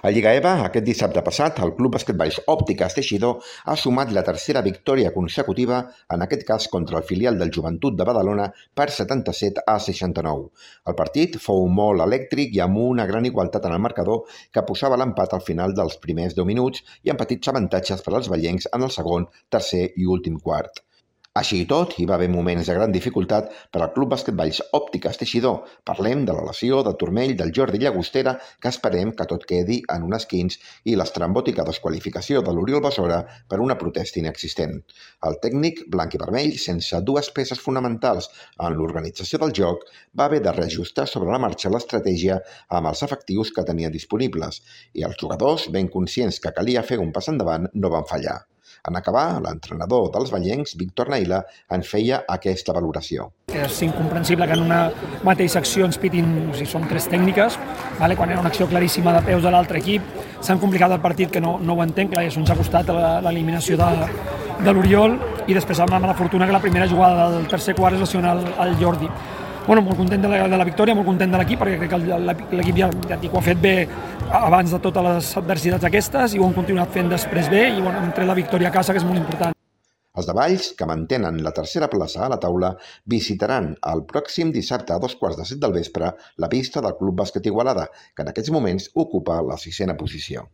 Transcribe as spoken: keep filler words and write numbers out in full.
A Lliga E V A, aquest dissabte passat, el Club Basquetball Òptiques Teixidor ha sumat la tercera victòria consecutiva, en aquest cas contra el filial del Joventut de Badalona, per setanta-set a seixanta-nou. El partit fou molt elèctric i amb una gran igualtat en el marcador que posava l'empat al final dels primers deu minuts i amb petits avantatges per als vallencs en el segon, tercer i últim quart. Així i tot, hi va haver moments de gran dificultat per al Club Basquetball Òptiques Teixidor. Parlem de la lesió de turmell del Jordi Llagostera, que esperem que tot quedi en un esquinç, i l'estrambòtica desqualificació de l'Oriol Besora per una protesta inexistent. El tècnic blanc i vermell, sense dues peces fonamentals en l'organització del joc, va haver de reajustar sobre la marxa l'estratègia amb els efectius que tenia disponibles, i els jugadors, ben conscients que calia fer un pas endavant, no van fallar. En acabar, l'entrenador dels vallencs, Víctor Naila, en feia aquesta valoració. És incomprensible que en una mateixa acció ens pitin, o sigui, són tres tècniques, vale? Quan era una acció claríssima de peus de l'altre equip, s'han complicat el partit que no, no ho entenc, clar, això ens ha costat l'eliminació de, de l'Oriol i després amb la fortuna que la primera jugada del tercer quart és lesionar el, el Jordi. Bueno, molt content de la, de la victòria, molt content de l'equip, perquè crec que l'equip ja, ja dic, ho ha fet bé abans de totes les adversitats aquestes i ho han continuat fent després bé i bueno, hem tret la victòria a casa, que és molt important. Els de Valls, que mantenen la tercera plaça a la taula, visitaran el pròxim dissabte a dos quarts de set del vespre la pista del Club Bàsquet Igualada, que en aquests moments ocupa la sisena posició.